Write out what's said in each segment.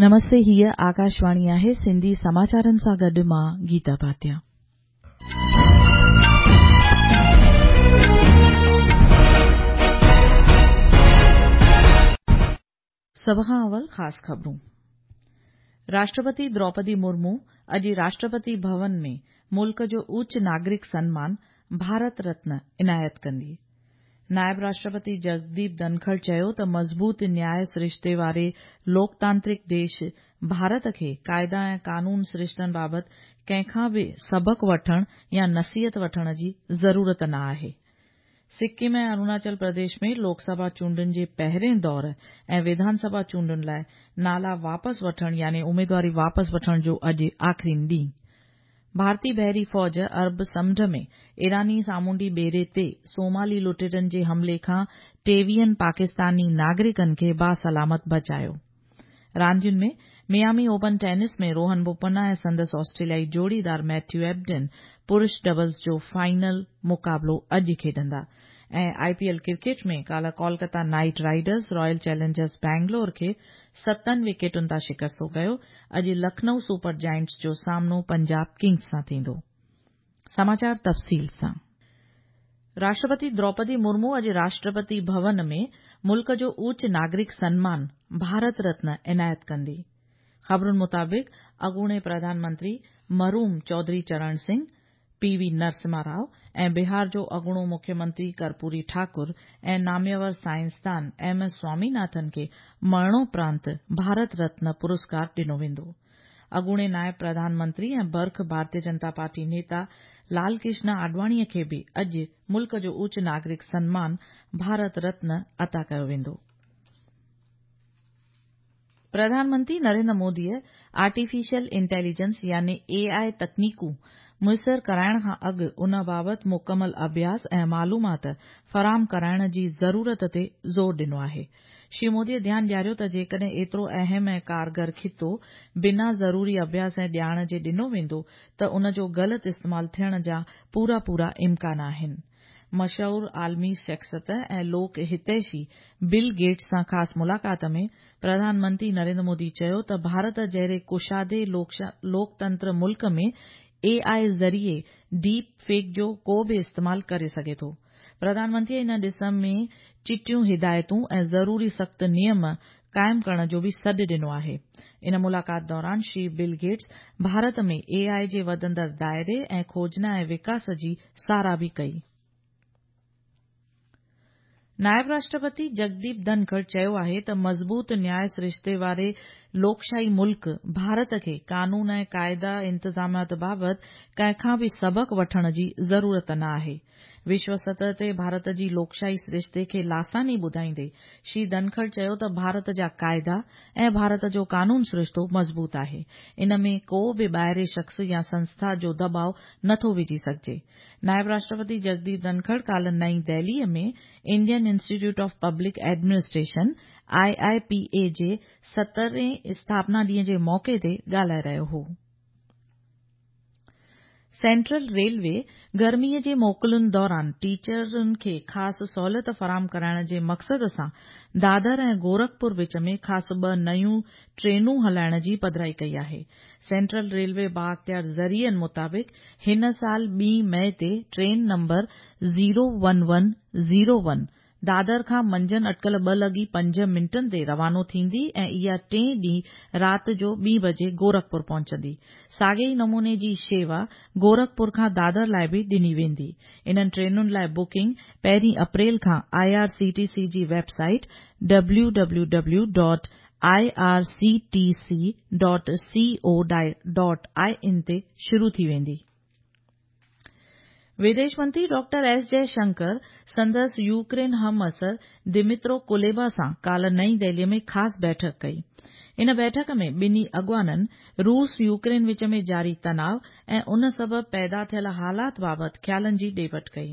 نمستي هيء آڪاشواڻي آهي سنڌي سماچارن سان گڏ مان گيتا ڀاٽيا. سڀ کان اول خاص خبرون. راشٽرپتي دروپدي مرمو اڄ راشٽرپتي ڀون ۾ ملڪ جو اوچ ناگرڪ سنمان ڀارت رتن عنايت ڪندي. نائب راشٽرپتي جگديپ ڌنکڙ چيو ته مضبوط نياء سرشتي واري لوڪتانترڪ ديش ڀارت کي قاعدا ۽ قانون سرشتن بابت ڪنهن کان به سبق وٺڻ يا نصيحت وٺڻ جي ضرورت نه آهي. سڪم ۽ اروناچل پرديش ۾ لوڪ سڀا چونڊن جي پهرين دور ۽ وڌان سڀا چونڊن لاء نالا واپس وٺڻ يعني اميدواري واپس وٺڻ جو اڄ آخرين ڏينهن. ڀارتي بحري فوج عرب سمنڊ ۾ ايراني سامونڊي ٻيڙي تي صومالي لٽيرن جي حملي کان ٽيويهن پاڪستاني ناگرڪن کي باسلامت بچايو. راندين ۾ Miami open tennis ۾ Rohan Bopanna ۽ سندس آسٽريليائي جوڙيدار ميٿيو ايبڊن پرش ڊبلز جو فائنل مقابلو اڄ کيڏندا ۽ آء پي ايل ڪرڪيٽ ۾ ڪالهه Kolkata Knight Riders Royal Challengers Bangalore کي ستن وڪيٽن تان شڪستو ڪيو، اڄ لکنئو سپر جائنٽس جو سامنو پنجاب ڪنگز سان ٿيندو. سماچار تفصيل سان. راشٽرپتي دروپدي مرمو اڄ راشٽرپتي ڀون ۾ ملڪ جو اوچ ناگرڪ سنمان ڀارت رتن عنايت ڪندي. خبرن مطابق اڳوڻي پرڌان منتري مرحوم چوڌري چرڻ سنگهه، پي وي نرسمها رائو ۽ بهار جو اڳوڻو مکيه منتري ڪرپوري ٺاڪر ۽ ناميور سائنسدان ايم ايس سواميناٿن کي مرڻوپرانت ڀارت رتن پرسڪار ڏنو ويندو. اڳوڻي نائب پرڌان منتري ۽ برک ڀارتيه جنتا پارٽي نيتا لال ڪرشن آڏواڻي کي به اڄ ملڪ جو اوچ ناگرڪ سنمان ڀارت رتن عطا ڪيو ويندو. پرڌان منتري نريندر موديء آرٽيفيشل انٽيليجنس يعني اي آء تڪنيڪون ميسر ڪرائڻ کان اڳ ان بابت مڪمل اڀياس ۽ معلومات فراهم ڪرائڻ جي ضرورت تي زور ڏنو آهي. شري موديء ڌيان ڏياريو ته جيڪڏهن ايترو اهم ۽ ڪارگر خطو بنا ضروري اڀياس ۽ ڄاڻ جي ڏنو ويندو ته ان جو غلط استعمال ٿيڻ جا پورا پورا امڪان آهن. مشهور عالمي شخصيت ۽ لوڪ هتيشي بل گيٽس سان خاص ملاقات ۾ پرڌان منتري نريندر مودي چيو ته ڀارت جهڙي ڪشادي لوڪتنتر ملڪ ۾ اي آء ذريعي ڊيپ فيڪ جو ڪو به استعمال ڪري سگهي ٿو. پرڌان منتريء ان ڏس ۾ چٽيون هدايتون ۽ ضروري سخت نيم قائم ڪرڻ جو به سڏ ڏنو آهي. ان ملاقات دوران شري بل گيٽس ڀارت ۾ اي آء جي وڌندڙ دائري ۽ کوجنا ۽ وڪاس جي ساراهه به ڪئي. نائب راشٽرپتي جگديپ ڌنکڙ چيو آهي ته مضبوط نياء سرشتي واري لوڪشاهي ملڪ ڀارت کي قانون ۽ قاعدا انتظامات بابت ڪنهن کان به سبق وٺڻ جي ضرورت نه آهي. وشو سطح تي ڀارت جي لوڪشاهي سرشتي کي لاثاني ٻڌائيندي شري ڌنکڙ چيو ته ڀارت جا قاعدا ۽ ڀارت جو قانون سرشتو مضبوط آهي، ان ۾ ڪو به ٻاهرين شخص يا سنسٿا جو دٻاء نه ٿو وجهي سگهجي. نائب راشٽرپتي جگديپ ڌنکڙ ڪالهه نئين دهليء ۾ Indian Institute of Public Administration, I I P A, جي سترهين اسٿاپنا ڏينهن جي موقعي تي ڳالهائي رهيو هو. سينٽرل ريلوي گرميء جي موڪلن دوران ٽيچرن کي خاص سهولت فراهم ڪرائڻ جي مقصد سان دادر ۽ گورکپور وچ ۾ خاص ٻه نيون ٽرينون هلائڻ جي پڌرائي ڪئي آهي. سينٽرل ريلوي بااختيار ذريعن مطابق هن سال ٻي مئي تي train number zero one one zero one Dadar کان منجهند اٽڪل ٻه لڳي پنج منٽن تي روانو ٿيندي ۽ اها ٽئين ڏينهن رات جو ٻي بجي گورکپور پهچندي. ساڳئي ئي نموني جي شيوا گورکپور کان دادر لاء به ڏني ويندي. انهن ٽرينن لاء بڪنگ پهرين اپريل کان I R C T C جي web site W W W dot I R C T C dot C O dot I N تي شروع ٿي ويندي. وديش منتري ڊاڪٽر ايس جئه شنڪر سندس يوڪرين همعصر دمترو ڪوليبا سان ڪالهه نئين دهلي ۾ خاص بيٺڪ ڪئي. ان بيٺڪ ۾ ٻنهي اڳواڻن روس يوڪرين وچ ۾ جاري تناء ۽ ان سبب پيدا ٿيل حالات بابت خيالن جي ڏي وٺ ڪئي.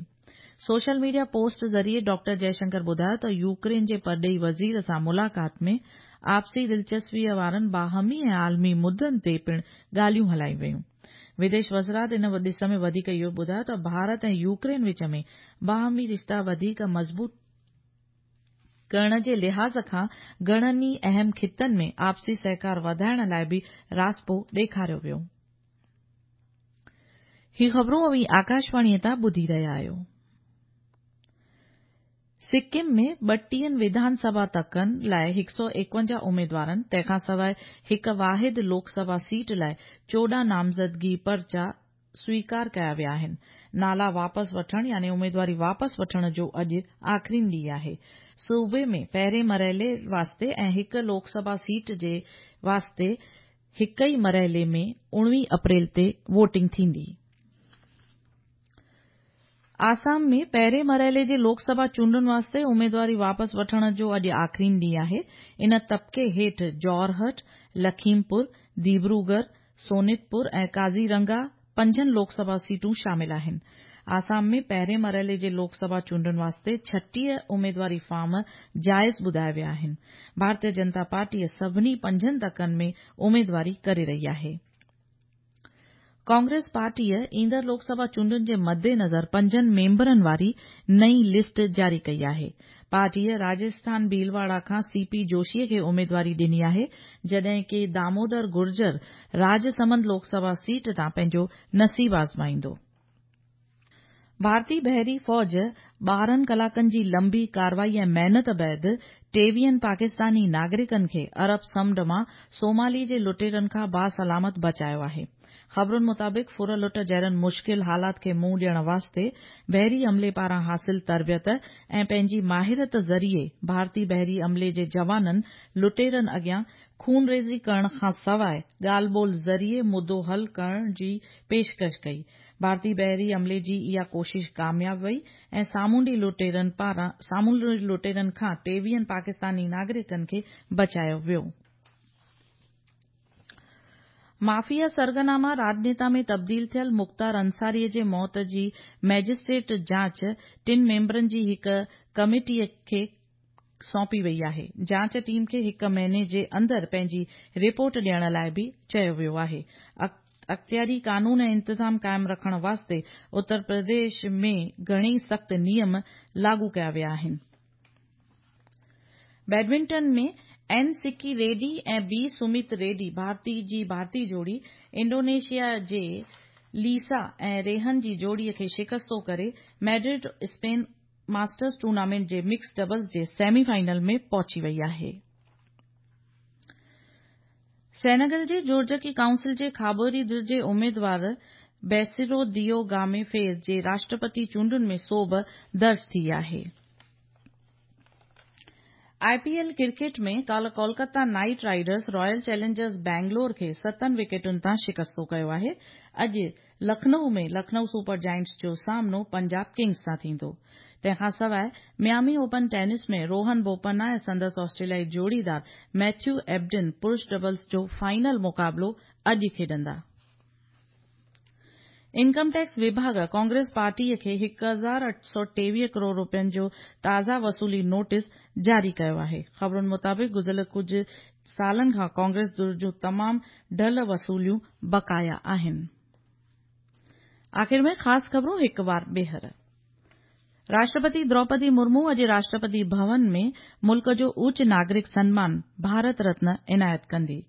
سوشل ميڊيا پوسٽ ذريعي ڊاڪٽر جئه شنڪر ٻڌايو ته يوڪرين جي پرڏيهي وزير سان ملاقات ۾ آپسي دلچسپيء وارن باهمي ۽ عالمي مدن تي پڻ ڳالهيون هلايون ويون. وديش وزارت ان ڏس ۾ وڌيڪ اهو ٻڌايو ته ڀارت ۽ يوڪرين وچ ۾ باهمي رشتا وڌيڪ مضبوط ڪرڻ جي لحاظ کان گهڻن ئي اهم خطن ۾ آپسي سهڪار وڌائڻ لاء به راضپو ڏيکاريو ويو. هي خبرون اوهين آڪاشواڻيء تان ٻڌي رهيا آهيو. سڪم ۾ ٻٽيهن وڌان سڀا تڪن لاء 151 اميدوارن، تنهن کان سواء هڪ واحد لوڪ سڀا سيٽ لاء 14 نامزدگي پرچا سويڪار ڪيا ويا آهن. نالا واپس وٺڻ يعني اميدواري واپس وٺڻ جو اڄ آخرين ڏينهن آهي. صوبي ۾ پهرين مرحلي واسطي ۽ هڪ لوڪ سڀا سيٽ جي واسطي هڪ ئي مرحلي ۾ 19 اپريل تي ووٽنگ ٿيندي. آسام ۾ پهرين مرحلي جي لوڪ سڀا چونڊن واسطي اميدواري واپس وٺڻ جو اڄ آخرين ڏينهن آهي. ان طبقي هيٺ جورهٽ، لکيمپور، ديبروگر، سونتپور ۽ ڪازيرنگا پنجن لوڪ سڀا سيٽون شامل آهن. آسام ۾ پهرين مرحلي جي لوڪ سڀا چونڊن واسطي 36 اميدواري فارم جائز ٻڌايا ويا آهن. ڀارتيه جنتا پارٽيء سڀني پنجن تڪن ۾ اميدواري ڪري رهي آهي. ڪانگريس پارٽيء ايندڙ لوڪ سڀا چونڊن جي مدنظر پنجن ميمبرن واري نئين لسٽ جاري ڪئي آهي. پارٽيء راجسٿان ڀيلواڙا کان سي پي جوشيء کي اميدواري ڏني آهي، جڏهن ڪي دامودر گرجر راجسمند لوڪ سڀا سيٽ تان پنهنجو نصيب آزمائيندو. ڀارتي بحري فوج 12 ڪلاڪن جي لنبي ڪارروائي ۽ محنت بعد ٽيويهن پاڪستاني ناگرڪن کي عرب سمنڊ مان سومالي جي لٽيرن کان باسلامت بچايو آهي. خبرن مطابق ڦر لٽ جهڙن مشڪل حالات کي منهن ڏيڻ واسطي بحري عملي پاران حاصل تربيت ۽ پنهنجي ماهرت ذريعي ڀارتي بحري عملي جي جوانن لٽيرن اڳيان خونريزي ڪرڻ کان سواء ڳالهه ٻولهه ذريعي مدو حل ڪرڻ جي پيشڪش ڪئي. ڀارتي بحري عملي جي اها ڪوشش ڪامياب وئي ۽ سامونڊي لٽيرن پاران سامونڊي لٽيرن کان ٽيويهن پاڪستاني ناگرڪن کي بچايو ويو. مافيا سرغنا مان راڄنيتا ۾ تبديل ٿيل مختار انصاري جي موت جي مئجسٽريٽ جاچ ٽن ميمبرن جي هڪ ڪميٽي کي سونپي وئي آهي. جاچ ٽيم کي هڪ مهيني جي اندر پنهنجي رپورٽ ڏيڻ لاء به چيو ويو آهي. اختياري قانون ۽ انتظام قائم رکڻ واسطي اتر پرديش ۾ گهڻي سخت نيم لاڳو ڪيا ويا آهن. Badminton ۾ N Sikki Reddy ۽ B Sumeet Reddy ڀارتي جي ڀارتي جوڙي انڊونيشيا جي ليسا ۽ ريهن جي جوڙي کي شڪستو ڪري ميڊرڊ اسپين ماسٽرز ٽورنامينٽ جي مڪس ڊبلز جي سيمي فائنل ۾ پهچي وئي آهي. سينيگل جي جوڙجڪي ڪائونسل جي کاٻي ڌر جي اميدوار بيسيرو ديو گامي فيز جي راشٽرپتي چونڊن ۾ سوڀ درج ٿي آهي. آء پي ايل ڪرڪيٽ ۾ ڪالهه Kolkata Knight Riders Royal Challengers Bangalore کي ستن وڪيٽن تان شڪستو ڪيو آهي. اڄ لکنئو ۾ لکنئو سپر جائنٽس جو سامنو پنجاب ڪنگز سان ٿيندو. تنهن کان سواء Miami open tennis ۾ Rohan Bopanna ۽ سندس آسٽريليائي جوڙيدار ميٿيو ايبڊن پرش ڊبلز جو فائنل مقابلو اڄ کيڏندا. انڪم ٽيڪس وڀاڳ ڪانگريس پارٽيء کي 1823 ڪروڙ رپين جو تازا وصولي نوٽيس جاري ڪيو آهي. خبرن مطابق گذريل ڪجهه سالن کان ڪانگريس ڌر جون تمام ڍل وصوليون بقايا آهن. آخر ۾ خاص خبرون هڪ وار ٻيهر. راشٽرپتي دروپدي مرمو اڄ راشٽرپتي ڀون ۾ ملڪ جو اوچ ناگرڪ سنمان ڀارت رتن عنايت ڪندي.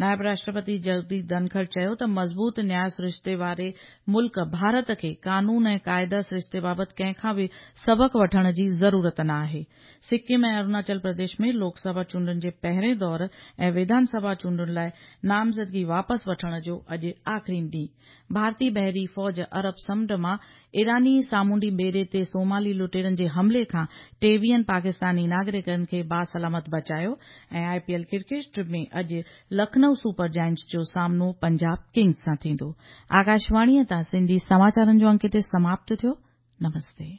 نائب راشٽرپتي جگديپ ڌنکڙ چيو ته مضبوط نياء سرشتي واري ملڪ ڀارت کي قانون ۽ قاعده سرشتي بابت ڪنهن کان به سبق وٺڻ جي ضرورت نه آهي. سڪم ۽ اروناچل پرديش ۾ لوڪ سڀا چونڊن جي پهرين دور ۽ وڌان سڀا چونڊن لاء نامزدگي واپس وٺڻ جو اڄ آخرين ڏينهن. ڀارتي بحري فوج عرب سمنڊ مان ايراني سامونڊي ٻيڙي تي سومالي لٽيرن جي حملي کان ٽيويهن پاڪستاني ناگرڪن کي باسلامت بچايو ۽ آء پي ايل ڪرڪيٽ ۾ اڄ لکنئو سپر جائنٽس جو سامنو پنجاب ڪنگز سان ٿيندو. آڪاشواڻيء تان سنڌي سماچارن جو انڪ هتي سماپت ٿيو. نمستي.